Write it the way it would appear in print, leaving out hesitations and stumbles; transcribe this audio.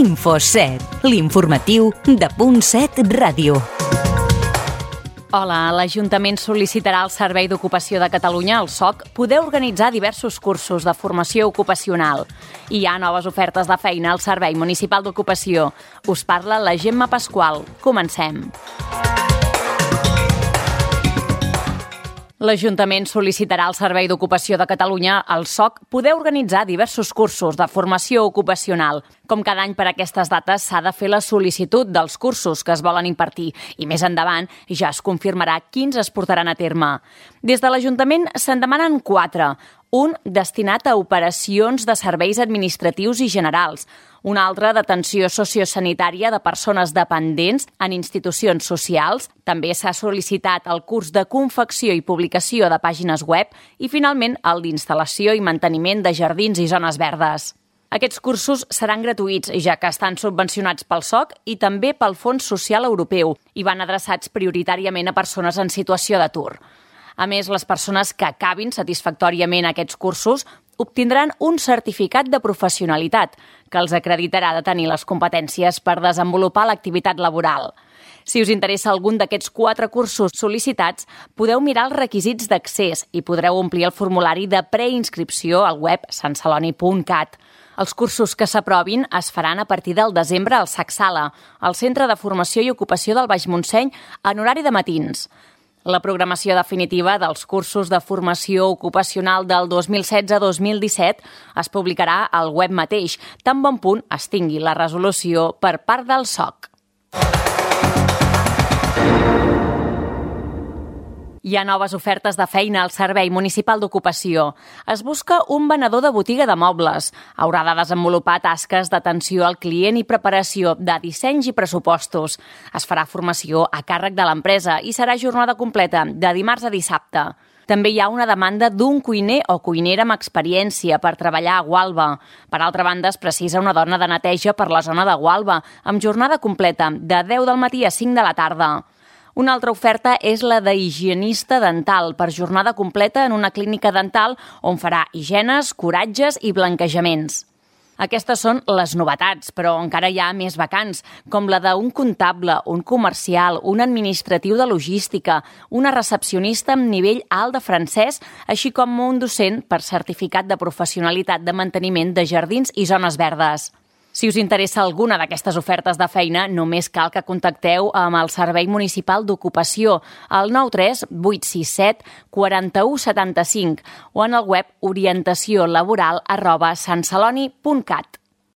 Info7, l'informatiu de Punt 7 Ràdio. Hola, l'Ajuntament sol·licitarà al Servei d'Ocupació de Catalunya, el SOC, poder organitzar diversos cursos de formació ocupacional. Hi ha noves ofertes de feina al Servei Municipal d'Ocupació. Us parla la Gemma Pasqual. Comencem. L'Ajuntament sol·licitarà al Servei d'Ocupació de Catalunya, el SOC, poder organitzar diversos cursos de formació ocupacional. Com cada any per aquestes dates s'ha de fer la sol·licitud dels cursos que es volen impartir i més endavant ja es confirmarà quins es portaran a terme. Des de l'Ajuntament se'n demanen 4. Un destinat a operacions de serveis administratius i generals, un altre d'atenció sociosanitària de persones dependents en institucions socials. També s'ha sol·licitat el curs de confecció i publicació de pàgines web i, finalment, el d'instal·lació i manteniment de jardins i zones verdes. Aquests cursos seran gratuïts, ja que estan subvencionats pel SOC i també pel Fons Social Europeu i van adreçats prioritàriament a persones en situació d'atur. A més, les persones que acabin satisfactòriament aquests cursos obtindran un certificat de professionalitat que els acreditarà de tenir les competències per desenvolupar l'activitat laboral. Si us interessa algun d'aquests 4 cursos sol·licitats, podeu mirar els requisits d'accés i podreu omplir el formulari de preinscripció al web santceloni.cat. Els cursos que s'aprovin es faran a partir del desembre al SAC Sala, al Centre de Formació i Ocupació del Baix Montseny, en horari de matins. La programació definitiva dels cursos de formació ocupacional del 2016-2017 es publicarà al web mateix, tan bon punt es tingui la resolució per part del SOC. Hi ha noves ofertes de feina al Servei Municipal d'Ocupació. Es busca un venedor de botiga de mobles. Haurà de desenvolupar tasques d'atenció al client i preparació de dissenys i pressupostos. Es farà formació a càrrec de l'empresa i serà jornada completa, de dimarts a dissabte. També hi ha una demanda d'un cuiner o cuinera amb experiència per treballar a Gualba. Per altra banda, es precisa una dona de neteja per la zona de Gualba, amb jornada completa, de 10 del matí a 5 de la tarda. Una altra oferta és la d'higienista dental per jornada completa en una clínica dental on farà higienes, curatges i blanquejaments. Aquestes són les novetats, però encara hi ha més vacants, com la d'un comptable, un comercial, un administratiu de logística, una recepcionista amb nivell alt de francès, així com un docent per certificat de professionalitat de manteniment de jardins i zones verdes. Si us interessa alguna d'aquestes ofertes de feina, només cal que contacteu amb el Servei Municipal d'Ocupació al 93 867 41 75 o en el web orientaciolaboral@santceloni.cat.